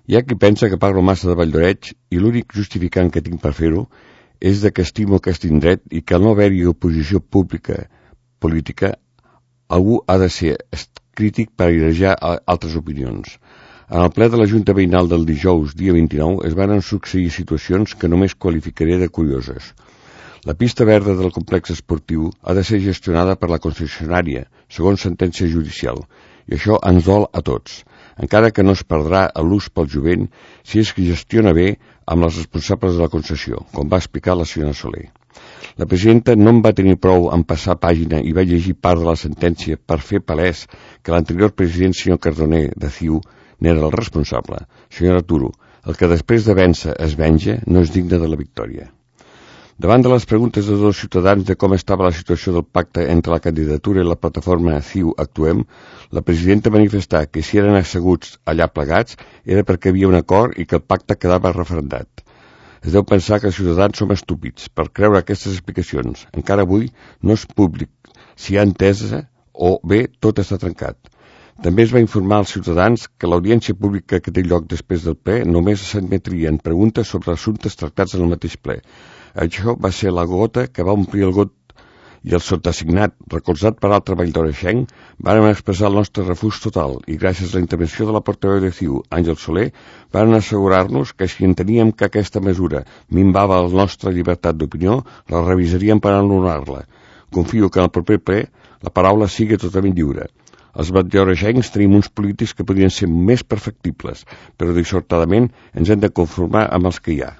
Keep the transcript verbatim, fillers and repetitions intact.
Hi ha qui pensa que parlo massa de Valldoreix i l'únic justificant que tinc per fer-ho és de que estimo aquest indret i que al no haver-hi oposició pública política algú ha de ser crític per airejar altres opinions. En el ple de la Junta Veïnal del dijous, dia vint-i-nou, es van succeir situacions que només qualificaré de curioses. La pista verda del complex esportiu ha de ser gestionada per la concessionària, segons sentència judicial, i això ens dol a tots, encara que no es perdrà l'ús pel jovent si es que gestiona bé amb els responsables de la concessió, com va explicar la senyora Soler. La presidenta no en va tenir prou en passar pàgina i va llegir part de la sentència per fer palès que l'anterior president, senyor Cardoner, de C I U, n'era el responsable. Senyora Turo, el que després de vèncer es venja no és digne de la victòria. Davant de les preguntes de dos ciutadans de com estava la situació del pacte entre la candidatura i la plataforma C I U Actuem, la presidenta manifestà que si eren asseguts allà plegats era perquè hi havia un acord i que el pacte quedava referendat. Es deu pensar que els ciutadans som estúpids per creure aquestes explicacions. Encara avui no és públic si hi ha entesa o bé tot està trencat. També es va informar als ciutadans que l'audiència pública que té lloc després del ple només s'admetrien preguntes sobre assumptes tractats en el mateix ple. Això va ser la gota que va omplir el got i el sotassignat, recolzat per altre valldoreixenc, vàrem expressar el nostre refús total i gràcies a la intervenció de la portaveu de C I U, Àngel Soler, vàrem assegurar-nos que si enteníem que aquesta mesura minvava la nostra llibertat d'opinió, la revisaríem per anul·lar-la. Confio que en el proper ple la paraula sigui totalment lliure. Els valldoreixencs tenim uns polítics que podrien ser més perfectibles, però dissortadament ens hem de conformar amb els que hi ha.